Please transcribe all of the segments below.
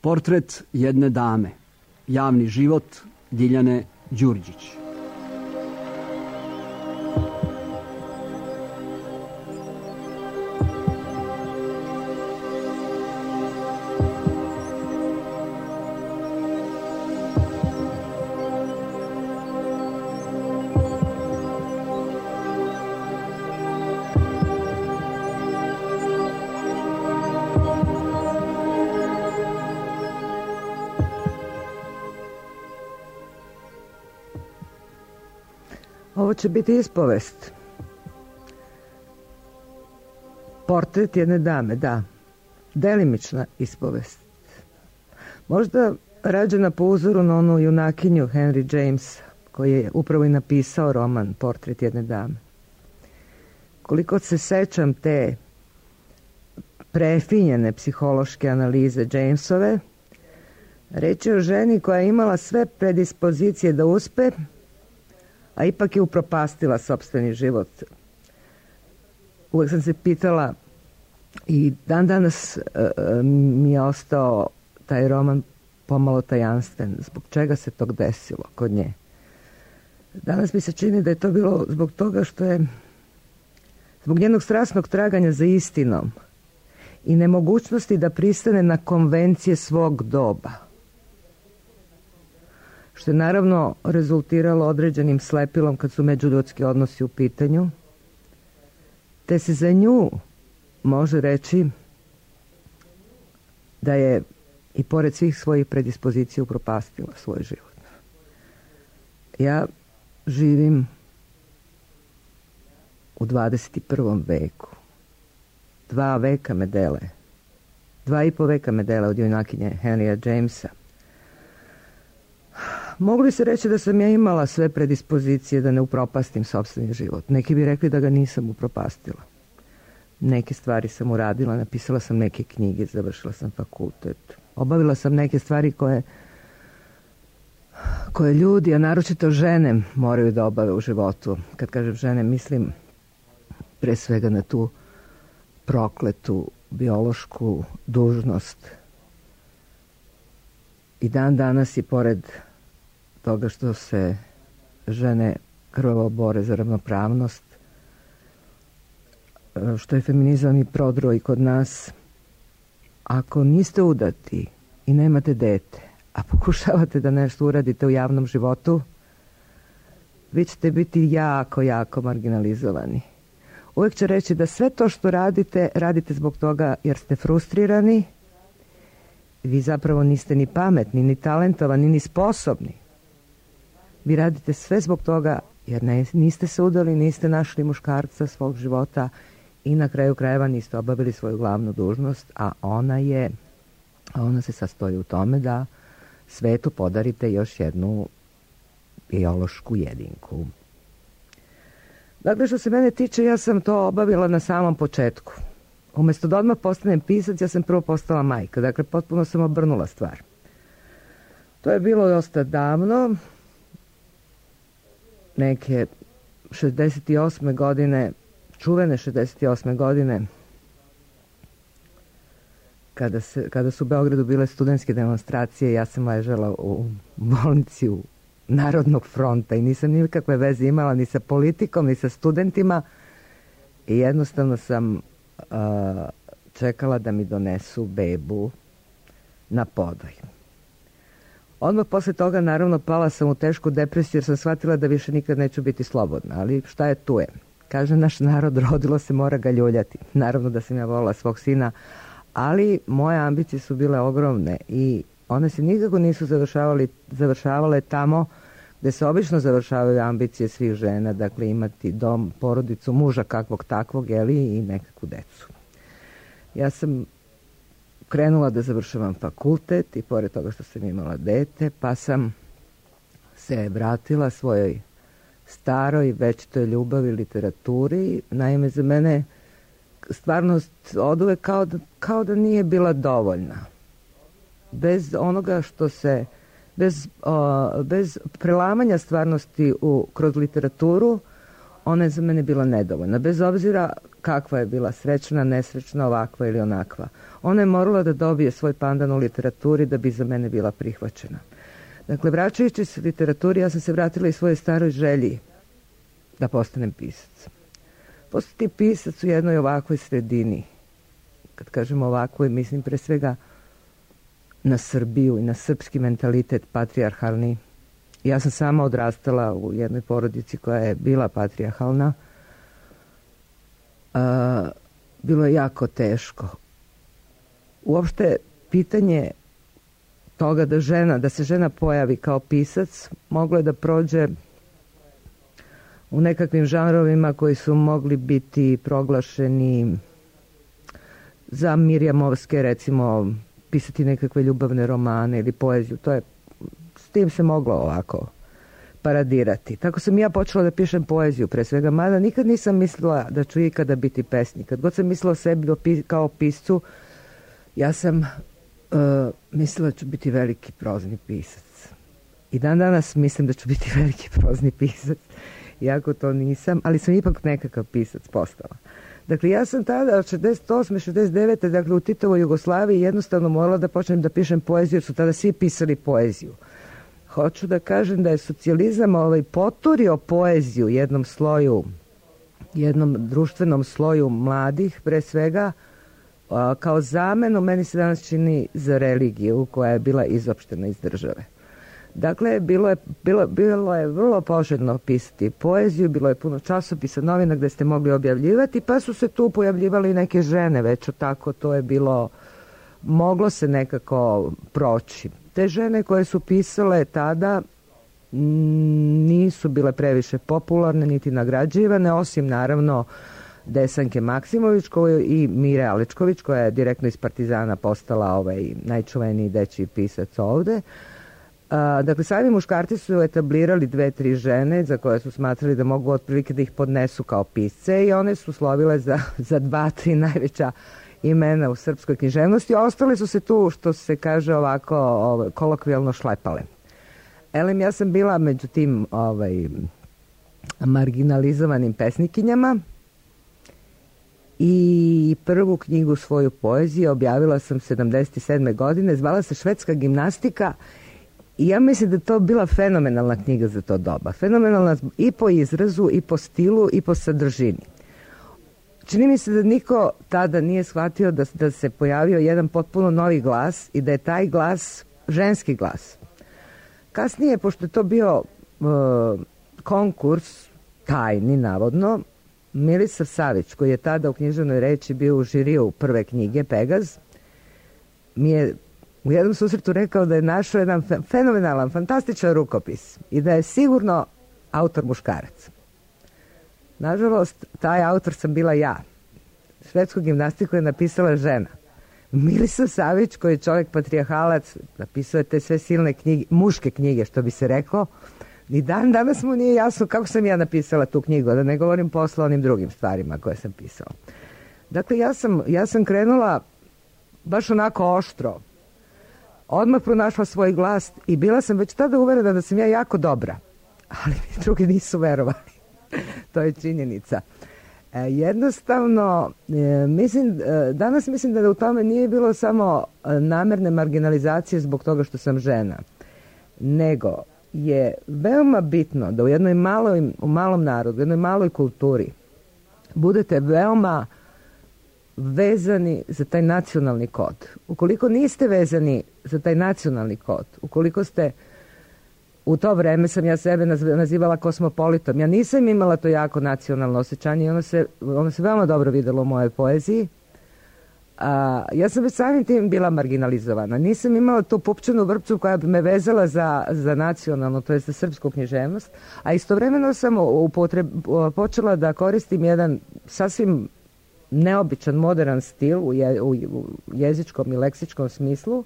Portret jedne dame. Javni život Diljane Đurđić. Ovo će biti ispovest. Portret jedne dame, da. Delimična ispovest. Možda rađena po uzoru na onu junakinju Henry James, koji je upravo i napisao roman Portret jedne dame. Koliko se sećam te prefinjene psihološke analize Jamesove, reč je o ženi koja je imala sve predispozicije da uspe, a ipak je upropastila sopstveni život. Uvijek sam se pitala i dan danas mi je ostao taj roman pomalo tajanstven. Zbog čega se to desilo kod nje? Danas mi se čini da je to bilo zbog toga što je zbog njenog strasnog traganja za istinom i nemogućnosti da pristane na konvencije svog doba, što je naravno rezultiralo određenim slepilom kad su međuljudski odnosi u pitanju, te se za nju može reći da je i pored svih svojih predispozicija upropastila svoj život. Ja živim u 21. veku. 2 veka me dele. 2,5 veka me dele od junakinje Henrya Jamesa. Mogu li se reći da sam ja imala sve predispozicije da ne upropastim sopstveni život? Neki bi rekli da ga nisam upropastila. Neke stvari sam uradila, napisala sam neke knjige, završila sam fakultet. Obavila sam neke stvari koje ljudi, a naročito žene, moraju da obave u životu. Kad kažem žene, mislim pre svega na tu prokletu biološku dužnost. I dan danas i pored toga što se žene krvavo bore za ravnopravnost, što je feminizam i prodro i kod nas, ako niste udati i nemate dete, a pokušavate da nešto uradite u javnom životu, vi ćete biti jako, jako marginalizovani. Uvijek će reći da sve to što radite, radite zbog toga jer ste frustrirani. Vi zapravo niste ni pametni, ni talentovani, ni sposobni. Vi radite sve zbog toga jer niste se udali, niste našli muškarca svog života i na kraju krajeva niste obavili svoju glavnu dužnost, a ona se sastoji u tome da svetu podarite još jednu biološku jedinku. Dakle, što se mene tiče, ja sam to obavila na samom početku. Umjesto da odmah postanem pisac, ja sam prvo postala majka. Dakle, potpuno sam obrnula stvar. To je bilo dosta davno, neke 68. godine, čuvene 68. godine, kada su u Beogradu bile studentske demonstracije, ja sam ležala u bolnici u Narodnog fronta i nisam nikakve veze imala ni sa politikom, ni sa studentima i jednostavno sam čekala da mi donesu bebu na podoj. Odmah posle toga, naravno, pala sam u tešku depresiju jer sam shvatila da više nikad neću biti slobodna, ali šta je tu je. Kaže naš narod, rodilo se, mora ga ljuljati. Naravno da sam ja volila svog sina, ali moje ambicije su bile ogromne i one se nikako nisu završavale tamo gde se obično završavaju ambicije svih žena, dakle imati dom, porodicu, muža kakvog takvog, i nekakvu decu. Ja sam krenula da završavam fakultet i pored toga što sam imala dete, pa sam se vratila svojoj staroj, večitoj ljubavi, literaturi. Naime, za mene stvarnost oduvek kao da nije bila dovoljna. Bez onoga što se, bez prelamanja stvarnosti kroz literaturu, ona je za mene bila nedovoljna. Bez obzira kakva je bila, srećna, nesrećna, ovakva ili onakva. Ona je morala da dobije svoj pandan u literaturi da bi za mene bila prihvaćena. Dakle, vraćajući se literaturi, ja sam se vratila i svojoj staroj želji da postanem pisac. Postati pisac u jednoj ovakvoj sredini. Kad kažem ovakvoj, mislim pre svega na Srbiju i na srpski mentalitet patrijarhalni. Ja sam sama odrastala u jednoj porodici koja je bila patrijarhalna. Bilo je jako teško. Uopšte pitanje toga da se žena pojavi kao pisac moglo je da prođe u nekakvim žanrovima koji su mogli biti proglašeni za Mirjamovske, recimo pisati nekakve ljubavne romane ili poeziju. S tim se moglo ovako paradirati. Tako sam ja počela da pišem poeziju pre svega, mada nikad nisam mislila da ću ikada biti pesnik. Kad god sam mislila o sebi kao piscu, ja sam mislila da ću biti veliki prozni pisac. I dan danas mislim da ću biti veliki prozni pisac, iako to nisam, ali sam ipak nekakav pisac postala. Dakle, ja sam tada od 68. 69. dakle u Titovoj Jugoslaviji jednostavno morala da počnem da pišem poeziju, jer su tada svi pisali poeziju. Hoću da kažem da je socijalizam poturio poeziju jednom društvenom sloju mladih, pre svega, kao zamenu, meni se danas čini, za religiju koja je bila izopštena iz države. Dakle, bilo je vrlo poželjno pisati poeziju, bilo je puno časopisa, novina gde ste mogli objavljivati, pa su se tu pojavljivali i neke žene, već tako to je bilo, moglo se nekako proći. Te žene koje su pisale tada nisu bile previše popularne niti nagrađivane, osim naravno Desanke Maksimović i Mire Aličković, koja je direktno iz Partizana postala najčuveniji dečiji pisac ovde. Dakle, sami muškarci su etablirali 2-3 žene za koje su smatrali da mogu otprilike da ih podnesu kao pisce i one su slovile za 2-3 najveća imena u srpskoj književnosti. Ostale su se tu, što se kaže ovako, kolokvijalno šlepale. Elem, ja sam bila među tim marginalizovanim pesnikinjama i prvu knjigu svoju poeziju objavila sam 77. godine, zvala se Švedska gimnastika. I ja mislim da je to bila fenomenalna knjiga za to doba. Fenomenalna i po izrazu, i po stilu, i po sadržini. Čini mi se da niko tada nije shvatio da se pojavio jedan potpuno novi glas i da je taj glas ženski glas. Kasnije, pošto je to bio konkurs, tajni navodno, Milisav Savić, koji je tada u književnoj reči bio u žiriju prve knjige Pegaz, mi je u jednom susretu rekao da je našao jedan fenomenalan, fantastičan rukopis i da je sigurno autor muškarac. Nažalost, taj autor sam bila ja. Švedsku gimnastiku je napisala žena. Milisav Savić, koji je čovjek patrijarhalac, napisao je te sve silne knjige, muške knjige, što bi se reklo, i danas mu nije jasno kako sam ja napisala tu knjigu, da ne govorim posle onim drugim stvarima koje sam pisala. Dakle, ja sam krenula baš onako oštro, odmah pronašla svoj glas i bila sam već tada uverena da sam ja jako dobra, ali drugi nisu verovali. To je činjenica. Jednostavno, danas mislim da u tome nije bilo samo namerne marginalizacije zbog toga što sam žena, nego je veoma bitno da u malom narodu, u jednoj maloj kulturi budete veoma vezani za taj nacionalni kod. Ukoliko niste vezani za taj nacionalni kod, ukoliko ste, u to vreme sam ja sebe nazivala kosmopolitom, ja nisam imala to jako nacionalno osjećanje i ono se veoma dobro videlo u mojoj poeziji. Ja sam već samim tim bila marginalizovana. Nisam imala tu pupčanu vrpcu koja bi me vezala za nacionalno, to je za srpsku književnost, a istovremeno sam počela da koristim jedan sasvim neobičan, modern stil u jezičkom i leksičkom smislu,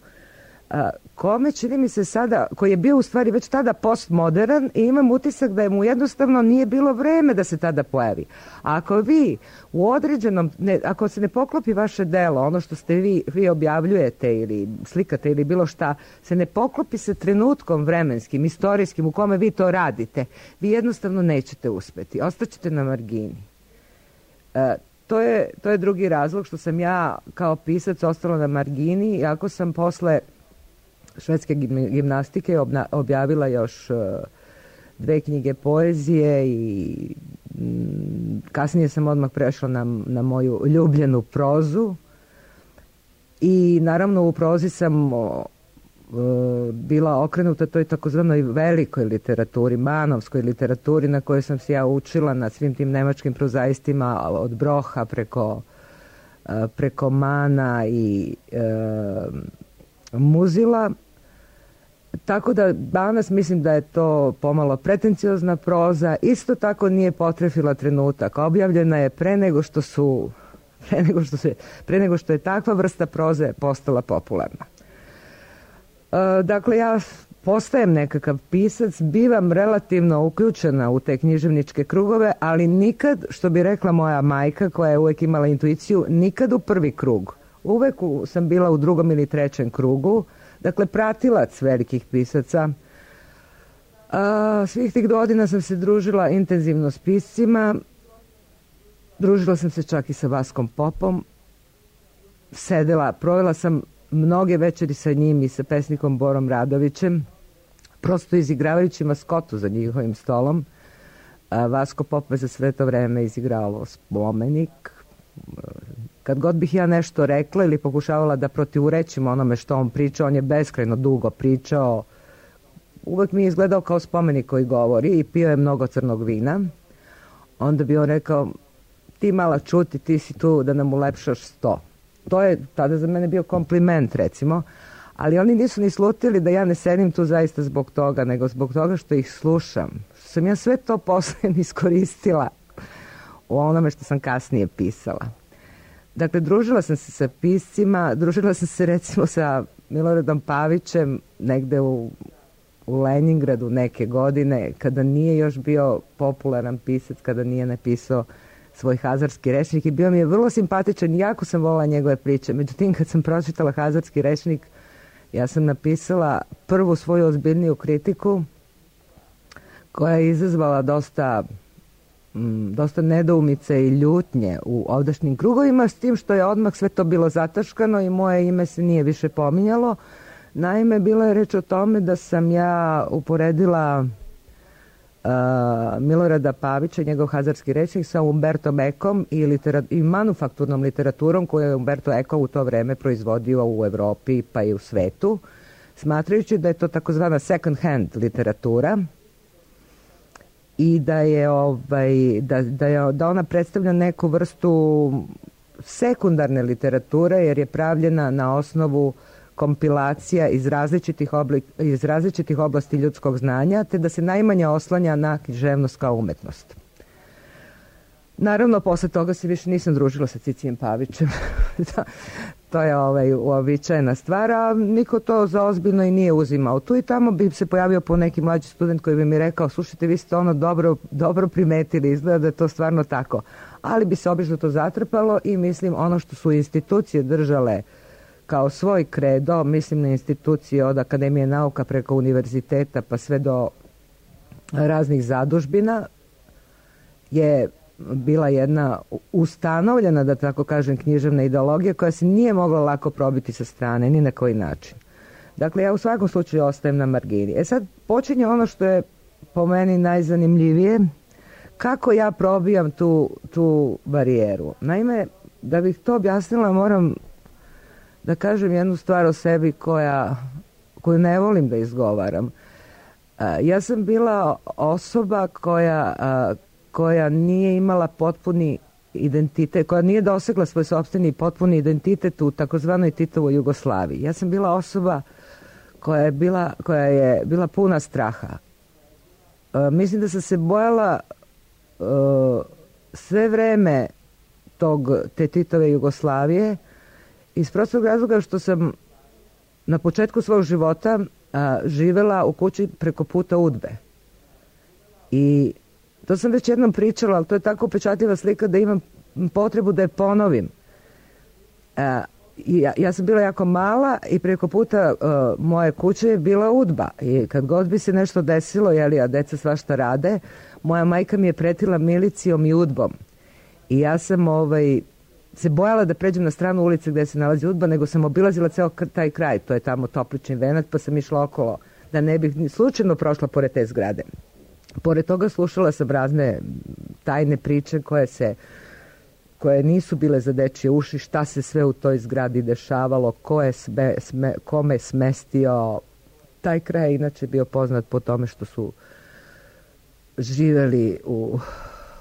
kome čini mi se sada, koji je bio u stvari već tada postmodern i imam utisak da mu jednostavno nije bilo vreme da se tada pojavi. A ako vi u određenom, ako se ne poklopi vaše delo, ono što ste vi objavljujete ili slikate ili bilo šta, se ne poklopi sa trenutkom vremenskim, istorijskim u kome vi to radite, vi jednostavno nećete uspeti. Ostaćete na margini. to je drugi razlog što sam ja kao pisac ostala na margini, iako sam posle švedske gimnastike objavila još 2 knjige poezije i kasnije sam odmah prešla na moju ljubljenu prozu i naravno u prozi sam bila okrenuta toj takozvanoj velikoj literaturi, manovskoj literaturi na kojoj sam se ja učila na svim tim nemačkim prozaistima od Broha preko Mana i Muzila. Tako da danas mislim da je to pomalo pretenciozna proza, isto tako nije potrefila trenutak. Objavljena je pre nego što je takva vrsta proze postala popularna. Dakle, ja postajem nekakav pisac, bivam relativno uključena u te književničke krugove, ali nikad, što bi rekla moja majka koja je uvek imala intuiciju, nikad u prvi krug. Uvek sam bila u 2. ili 3. krugu, dakle pratilac velikih pisaca. Svih tih godina sam se družila intenzivno s piscima, družila sam se čak i sa Vaskom Popom, provela sam mnoge večeri sa njim i sa pesnikom Borom Radovićem, prosto izigravajući maskotu za njihovim stolom. Vasko Pop je za sve to vreme izigrao Spomenik. Kad god bih ja nešto rekla ili pokušavala da protivurečim onome što on pričao, on je beskrajno dugo pričao. Uvek mi je izgledao kao Spomenik koji govori i pio je mnogo crnog vina. Onda bi on rekao, ti mala čuti, ti si tu da nam ulepšaš 100. To je tada za mene bio kompliment, recimo, ali oni nisu ni slutili da ja ne sedim tu zaista zbog toga, nego zbog toga što ih slušam. Što sam ja sve to posle iskoristila u onome što sam kasnije pisala. Dakle, družila sam se sa piscima, družila sam se recimo sa Miloradom Pavićem negde u Leningradu neke godine, kada nije još bio popularan pisac, kada nije napisao svoj hazarski rečnik i bio mi je vrlo simpatičan, jako sam volila njegove priče. Međutim, kad sam pročitala hazarski rečnik, ja sam napisala prvu svoju ozbiljniju kritiku koja je izazvala dosta nedoumice i ljutnje u ovdašnjim krugovima, s tim što je odmah sve to bilo zataškano i moje ime se nije više pominjalo. Naime, bilo je reč o tome da sam ja uporedila Milorada Pavića, njegov hazarski rečnik, sa Umbertom Ecom i manufakturnom literaturom koju je Umberto Eco u to vreme proizvodio u Evropi pa i u svetu, smatrajući da je to takozvana second hand literatura i da ona predstavlja neku vrstu sekundarne literature jer je pravljena na osnovu kompilacija iz različitih oblasti ljudskog znanja, te da se najmanje oslanja na književnost kao umetnost. Naravno, posle toga se više nisam družila sa Cicijem Pavićem. To je uobičajena stvar, a niko to za ozbiljno i nije uzimao. Tu i tamo bi se pojavio po neki mlađi student koji bi mi rekao, slušajte, vi ste ono dobro primetili, izgleda da je to stvarno tako. Ali bi se obično to zatrpalo i mislim ono što su institucije držale kao svoj kredo, mislim na institucije od Akademije nauka preko univerziteta pa sve do raznih zadužbina, je bila jedna ustanovljena, da tako kažem, književna ideologija koja se nije mogla lako probiti sa strane, ni na koji način. Dakle, ja u svakom slučaju ostajem na margini. Sad počinje ono što je po meni najzanimljivije, kako ja probijam tu barijeru. Naime, da bih to objasnila, moram da kažem jednu stvar o sebi koju ne volim da izgovaram. Ja sam bila osoba koja nije imala potpuni identitet, koja nije dosegla svoj sopstveni potpuni identitet u takozvanoj Titovoj Jugoslaviji. Ja sam bila osoba koja je bila puna straha. Mislim da sam se bojala sve vreme te Titove Jugoslavije iz prostog razloga što sam na početku svog života živela u kući preko puta UDBE. I to sam već jednom pričala, ali to je tako upečatljiva slika da imam potrebu da je ponovim. Ja sam bila jako mala i preko puta moje kuće je bila UDBA. I kad god bi se nešto desilo, a deca svašta rade, moja majka mi je pretila milicijom i UDBom. I ja sam se bojala da pređem na stranu ulice gdje se nalazi UDBA, nego sam obilazila ceo taj kraj, to je tamo Toplični venac, pa sam išla okolo da ne bih slučajno prošla pored te zgrade. Pored toga slušala sam razne tajne priče koje nisu bile za dečje uši, šta se sve u toj zgradi dešavalo, ko je kome smestio. Taj kraj je inače bio poznat po tome što su živeli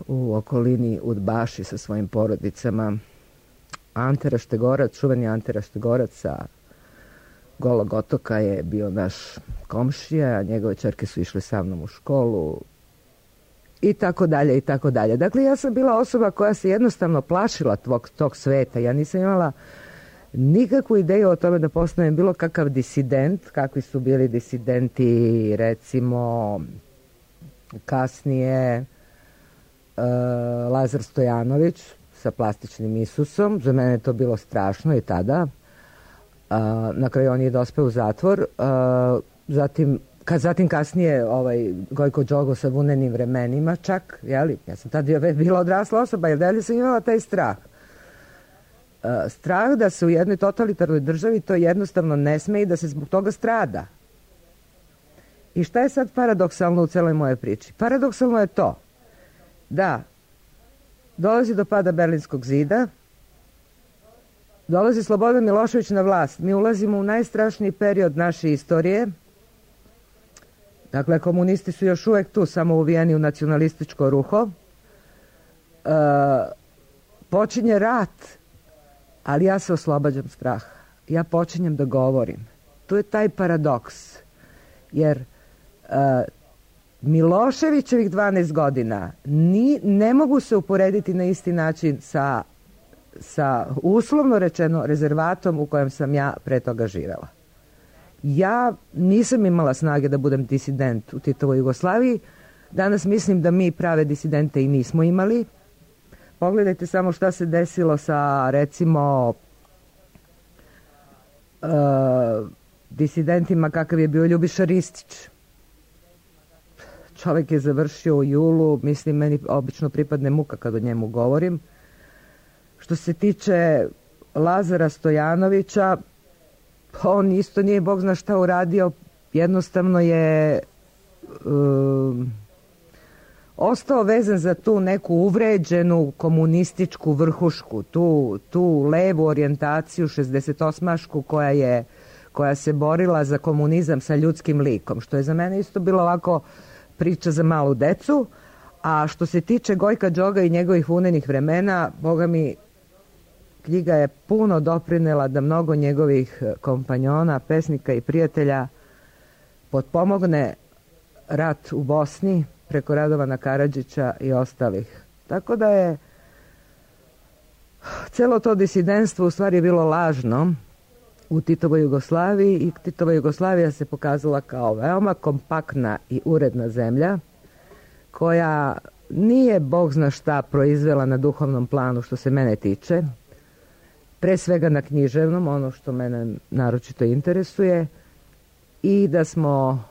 u okolini udbaši sa svojim porodicama. Ante Raštegorac, čuveni Ante Raštegorac sa Golog otoka je bio naš komšija, a njegove ćerke su išle sa mnom u školu i tako dalje i tako dalje. Dakle, ja sam bila osoba koja se jednostavno plašila tog sveta. Ja nisam imala nikakvu ideju o tome da postanem bilo kakav disident, kakvi su bili disidenti, recimo kasnije Lazar Stojanović sa plastičnim Isusom. Za mene je to bilo strašno i tada. Na kraju on je dospeo u zatvor. Zatim kasnije Gojko Đogo sa Vunenim vremenima čak, jeli? Ja sam tada bila odrasla osoba, jer dalje sam imala taj strah. Strah da se u jednoj totalitarnoj državi to jednostavno ne sme i da se zbog toga strada. I šta je sad paradoksalno u celoj moje priči? Paradoksalno je to da dolazi do pada Berlinskog zida, dolazi Slobodan Milošević na vlast. Mi ulazimo u najstrašniji period naše istorije. Dakle, komunisti su još uvijek tu, samo uvijeni u nacionalističko ruho. Počinje rat, ali ja se oslobađam straha. Ja počinjem da govorim. Tu je taj paradoks. Jer Miloševićevih 12 godina ne mogu se uporediti na isti način sa uslovno rečeno rezervatom u kojem sam ja pre toga živela. Ja nisam imala snage da budem disident u Titovoj Jugoslaviji. Danas mislim da mi prave disidente i nismo imali. Pogledajte samo šta se desilo sa, recimo, disidentima kakav je bio Ljubiša Ristić. Čovjek je završio u julu, mislim, meni obično pripadne muka kad o njemu govorim. Što se tiče Lazara Stojanovića, on isto nije Bog zna šta uradio, jednostavno je ostao vezan za tu neku uvređenu komunističku vrhušku, tu levu orijentaciju 68-ašku koja se borila za komunizam sa ljudskim likom, što je za mene isto bilo ovako priča za malu decu. A što se tiče Gojka Đoga i njegovih Vunenih vremena, Boga mi, knjiga je puno doprinela da mnogo njegovih kompanjona, pesnika i prijatelja potpomogne rat u Bosni preko Radovana Karadžića i ostalih. Tako da je celo to disidentstvo u stvari bilo lažno u Titovoj Jugoslaviji i Titova Jugoslavija se pokazala kao veoma kompaktna i uredna zemlja koja nije Bog zna šta proizvela na duhovnom planu što se mene tiče, pre svega na književnom, ono što mene naročito interesuje, i da smo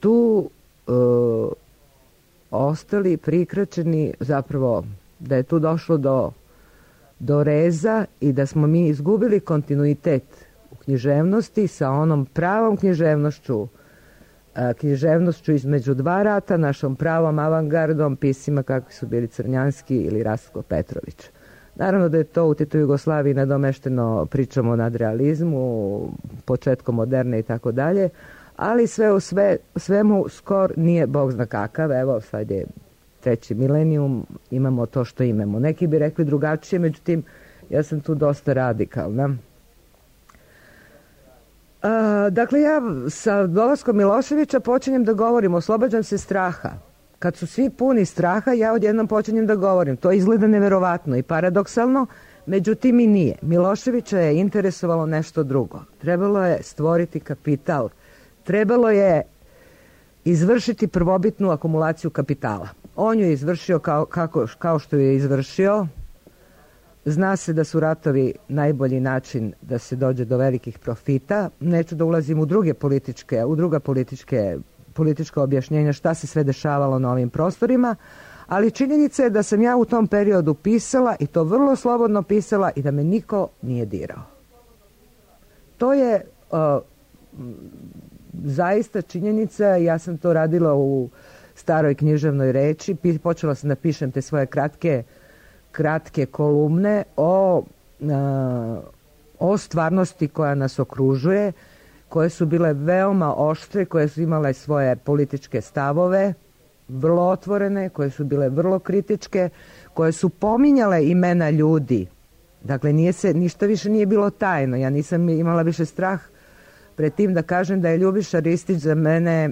tu ostali prikraćeni, zapravo da je tu došlo do reza i da smo mi izgubili kontinuitet u književnosti sa onom pravom književnošću između dva rata, našom pravom avangardom, pisima kakvi su bili Crnjanski ili Rastko Petrović. Naravno da je to u Titovoj Jugoslaviji nadomešteno pričom o nadrealizmu, početkom moderne i tako dalje, ali sve u svemu skor nije Bog zna kakav. Evo, sad je 3. milenijum, imamo to što imamo. Neki bi rekli drugačije, međutim, ja sam tu dosta radikalna. Dakle, ja sa dolaskom Miloševića počinjem da govorim, oslobađam se straha. Kad su svi puni straha, ja odjednom počinjem da govorim. To izgleda neverovatno i paradoksalno, međutim i nije. Miloševića je interesovalo nešto drugo. Trebalo je stvoriti kapital. Trebalo je izvršiti prvobitnu akumulaciju kapitala. On ju je izvršio kao što ju je izvršio. Zna se da su ratovi najbolji način da se dođe do velikih profita. Neću da ulazim u druga politička objašnjenja šta se sve dešavalo na ovim prostorima, Ali činjenica je da sam ja u tom periodu pisala i to vrlo slobodno pisala i da me niko nije dirao. To je zaista činjenica. Ja sam to radila u staroj književnoj reči. Počela sam da pišem te svoje kratke kolumne o stvarnosti koja nas okružuje, koje su bile veoma oštre, koje su imale svoje političke stavove, vrlo otvorene, koje su bile vrlo kritičke, koje su pominjale imena ljudi. Dakle, ništa više nije bilo tajno. Ja nisam imala više strah pred tim da kažem da je Ljubiša Ristić za mene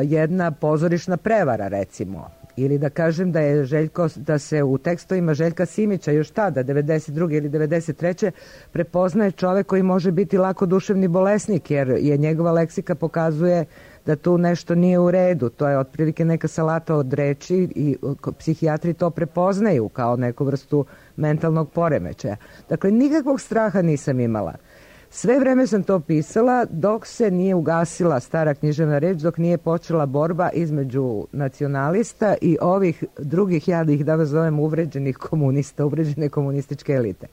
jedna pozorišna prevara, recimo. Ili da kažem da se u tekstovima Željka Simića još tada, 92. ili 93. prepoznaje čovek koji može biti lako duševni bolesnik, jer je njegova leksika pokazuje da tu nešto nije u redu. To je otprilike neka salata od reči i psihijatri to prepoznaju kao neku vrstu mentalnog poremećaja. Dakle, nikakvog straha nisam imala. Sve vreme sam to pisala dok se nije ugasila stara književna reč, dok nije počela borba između nacionalista i ovih drugih, ja da ih danas zovem uvređenih komunista, uvređene komunističke elite.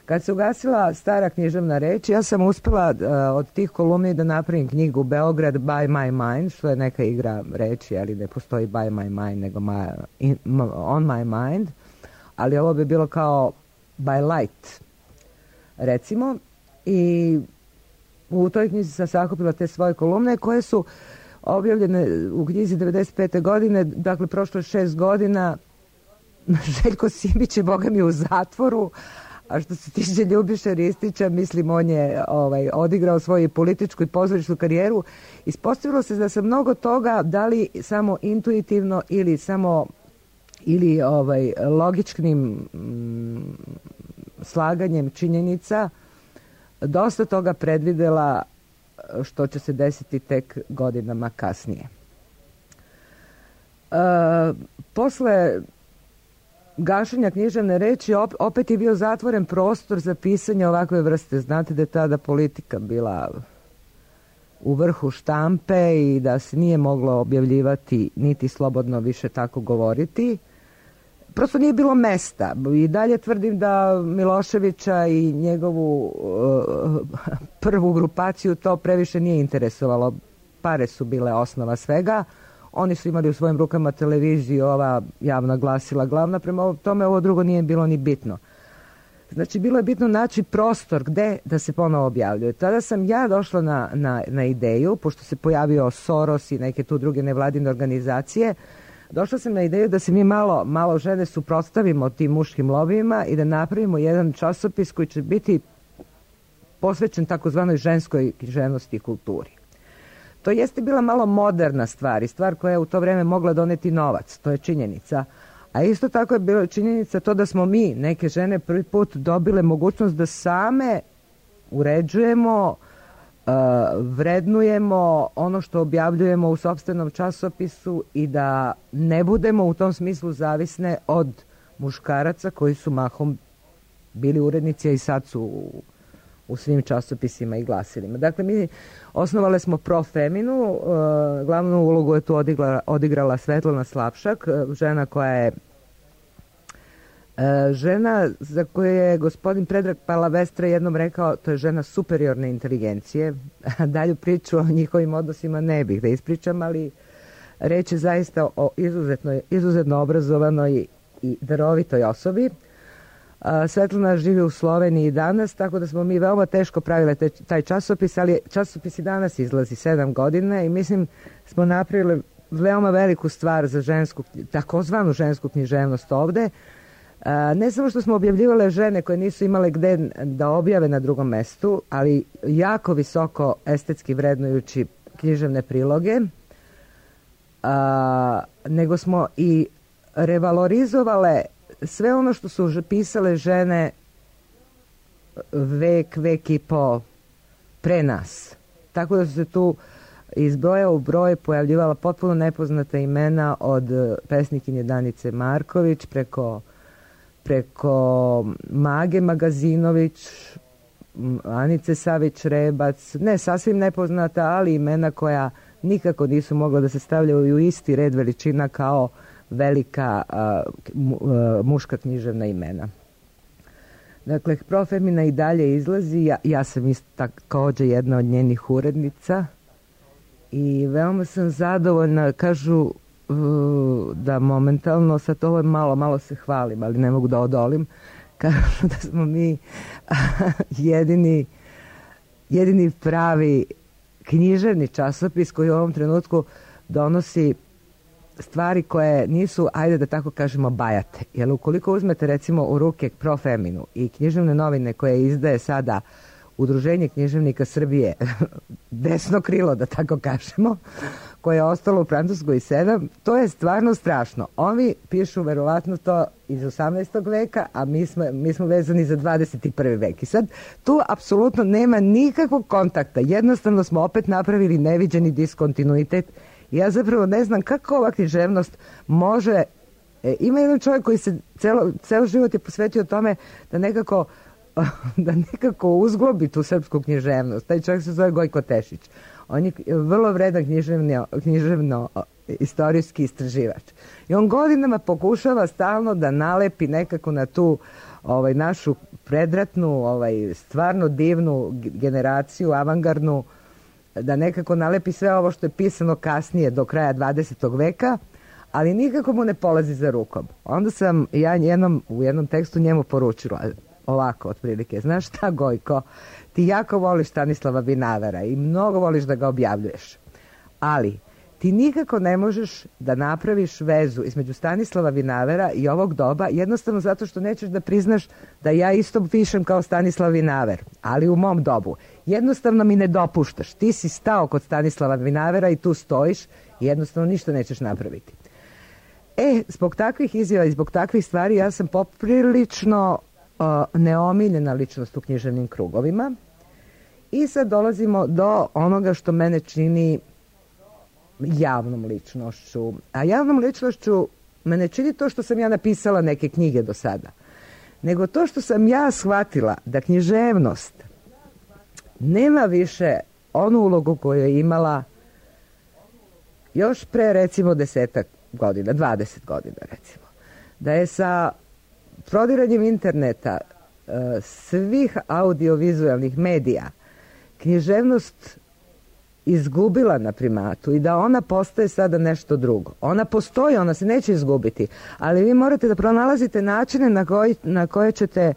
Kad se ugasila stara književna reč, ja sam uspela od tih kolumni da napravim knjigu Beograd by my mind, što je neka igra reči, ali ne postoji by my mind, nego on my mind, ali ovo bi bilo kao by light, recimo. I u toj knjizi sam sakupila te svoje kolumne koje su objavljene u knjizi 95. godine, dakle prošlo 6 godina. Željko Simić je, boga mi, u zatvoru, a što se tiče Ljubiše Ristića, mislim, on je odigrao svoju političku i pozorišnu karijeru. Ispostavilo se da sam mnogo toga, da li samo intuitivno ili logičnim slaganjem činjenica, dosta toga predvidela što će se desiti tek godinama kasnije. Posle gašenja književne reči opet je bio zatvoren prostor za pisanje ovakve vrste. Znate da je tada politika bila u vrhu štampe i da se nije moglo objavljivati niti slobodno više tako govoriti. Prosto nije bilo mesta. I dalje tvrdim da Miloševića i njegovu prvu grupaciju to previše nije interesovalo. Pare su bile osnova svega. Oni su imali u svojim rukama televiziju, ova javna glasila glavna. Prema tome ovo drugo nije bilo ni bitno. Znači, bilo je bitno naći prostor gde da se ponovo objavljuje. Tada sam ja došla na ideju, pošto se pojavio Soros i neke tu druge nevladine organizacije, došla sam na ideju da se mi malo žene suprotstavimo tim muškim lobijima i da napravimo jedan časopis koji će biti posvećen takozvanoj ženskoj književnosti i kulturi. To jeste bila malo moderna stvar i stvar koja je u to vreme mogla doneti novac, to je činjenica. A isto tako je bila činjenica to da smo mi, neke žene, prvi put dobile mogućnost da same uređujemo, vrednujemo ono što objavljujemo u sopstvenom časopisu i da ne budemo u tom smislu zavisne od muškaraca koji su mahom bili urednici, a i sad su u svim časopisima i glasilima. Dakle, mi osnovale smo Pro Feminu, glavnu ulogu je tu odigrala Svetlana Slapšak, žena koja je žena za koju je gospodin Predrag Palavestra jednom rekao, to je žena superiorne inteligencije. Dalju priču o njihovim odnosima ne bih da ispričam, ali reč je zaista o izuzetno obrazovanoj i darovitoj osobi. Svetlana živi u Sloveniji danas, tako da smo mi veoma teško pravile taj časopis, ali časopis i danas izlazi 7 godina i mislim smo napravili veoma veliku stvar za takozvanu žensku književnost ovde. Ne samo što smo objavljivale žene koje nisu imale gde da objave na drugom mestu, ali jako visoko estetski vrednujući književne priloge, nego smo i revalorizovale sve ono što su pisale žene vek i po pre nas. Tako da su se tu iz broja u broj pojavljivala potpuno nepoznata imena od pesnikinje Danice Marković preko Mage Magazinović, Anice Savić-Rebac, ne sasvim nepoznata, ali imena koja nikako nisu mogla da se stavljaju u isti red veličina kao velika muška književna imena. Dakle, Prof. Emina i dalje izlazi, ja sam isto također jedna od njenih urednica i veoma sam zadovoljna. Kažu da momentalno, sad ovo malo se hvalim, ali ne mogu da odolim, kažu da smo mi jedini pravi književni časopis koji u ovom trenutku donosi stvari koje nisu, ajde da tako kažemo, bajate. Jer ukoliko uzmete recimo u ruke Prof. Eminu i književne novine koje izdaje sada Udruženje književnika Srbije, desno krilo da tako kažemo, koje je ostalo u Francuskoj 7, to je stvarno strašno. Oni pišu verovatno to iz 18. veka, a mi smo vezani za 21. vek. I sad tu apsolutno nema nikakvog kontakta. Jednostavno smo opet napravili neviđeni diskontinuitet. Ja zapravo ne znam kako ova književnost može... Ima jedan čovjek koji se ceo život je posvetio tome da nekako uzglobi tu srpsku književnost. Taj čovjek se zove Gojko Tešić. On je vrlo vredan književno-istorijski istraživač. I on godinama pokušava stalno da nalepi nekako na tu našu predratnu, stvarno divnu generaciju, avangardnu, da nekako nalepi sve ovo što je pisano kasnije do kraja 20. veka, ali nikako mu ne polazi za rukom. Onda sam ja u jednom tekstu njemu poručila ovako, otprilike, znaš šta, Gojko, ti jako voliš Stanislava Vinavera i mnogo voliš da ga objavljuješ, ali ti nikako ne možeš da napraviš vezu između Stanislava Vinavera i ovog doba, jednostavno zato što nećeš da priznaš da ja isto pišem kao Stanislav Vinaver, ali u mom dobu. Jednostavno mi ne dopuštaš. Ti si stao kod Stanislava Vinavera i tu stojiš i jednostavno ništa nećeš napraviti. Zbog takvih izjava i zbog takvih stvari ja sam poprilično neomiljena ličnost u književnim krugovima i sad dolazimo do onoga što mene čini javnom ličnošću. A javnom ličnošću mene čini to što sam ja napisala neke knjige do sada, nego to što sam ja shvatila da književnost nema više onu ulogu koju je imala još pre recimo 10 godina, 20 godina recimo. Da je sa prodiranjem interneta, svih audiovizualnih medija, književnost izgubila na primatu i da ona postaje sada nešto drugo. Ona postoji, ona se neće izgubiti, ali vi morate da pronalazite načine na koje ćete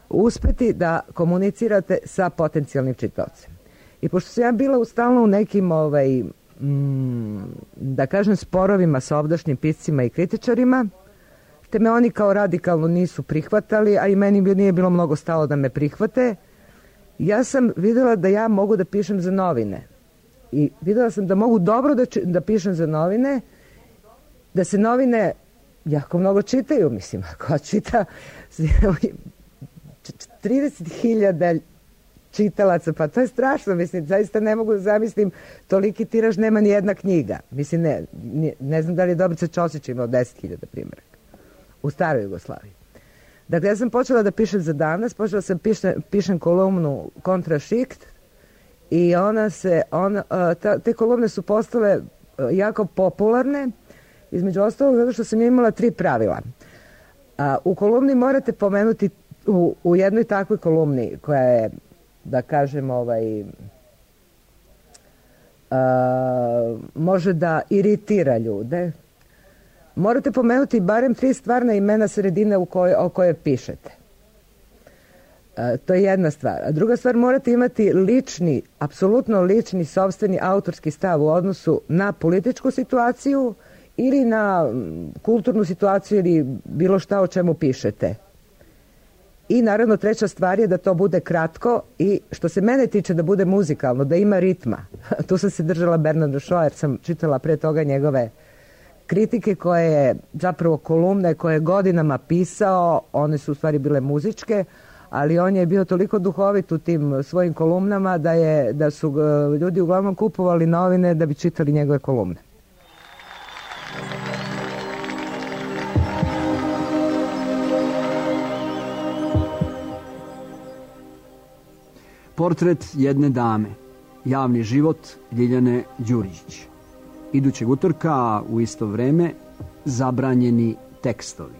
uspeti da komunicirate sa potencijalnim čitaocem. I pošto sam ja bila stalno u nekim da kažem sporovima sa ovdašnjim piscima i kritičarima, te me oni kao radikalno nisu prihvatali, a i meni nije bilo mnogo stalo da me prihvate, ja sam vidjela da ja mogu da pišem za novine. I vidjela sam da mogu dobro da pišem za novine, da se novine jako mnogo čitaju, mislim, ako čita 30.000 čitalaca, pa to je strašno, mislim, zaista ne mogu da zamislim, toliki tiraž nema ni jedna knjiga. Mislim, ne znam da li je Dobrica Ćosić imao 10.000 primjeraka u staroj Jugoslaviji. Dakle, ja sam počela da pišem za Danas, počela sam pišem kolumnu Kontrašikt i te kolumne su postale jako popularne, između ostalog zato što sam imala 3 pravila. U kolumni morate pomenuti, u jednoj takvoj kolumni koja je, da kažem, može da iritira ljude, morate pomenuti barem 3 stvarna imena sredine o kojoj pišete. To je jedna stvar. A druga stvar, morate imati lični, apsolutno lični, sopstveni autorski stav u odnosu na političku situaciju ili na kulturnu situaciju ili bilo šta o čemu pišete. I naravno treća stvar je da to bude kratko i što se mene tiče da bude muzikalno, da ima ritma. Tu sam se držala Bernarda Shaw jer sam čitala pre toga njegove kritike koje je zapravo kolumne koje je godinama pisao, one su u stvari bile muzičke, ali on je bio toliko duhovit u tim svojim kolumnama da su ljudi uglavnom kupovali novine da bi čitali njegove kolumne. Portret jedne dame. Javni život Ljiljane Đurđić. Idućeg utorka u isto vreme Zabranjeni tekstovi.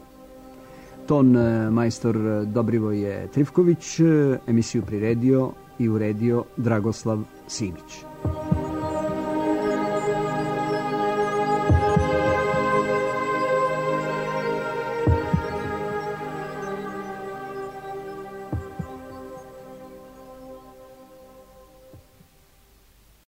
Ton majstor Dobrivoje Trifković, emisiju priredio i uredio Dragoslav Simić.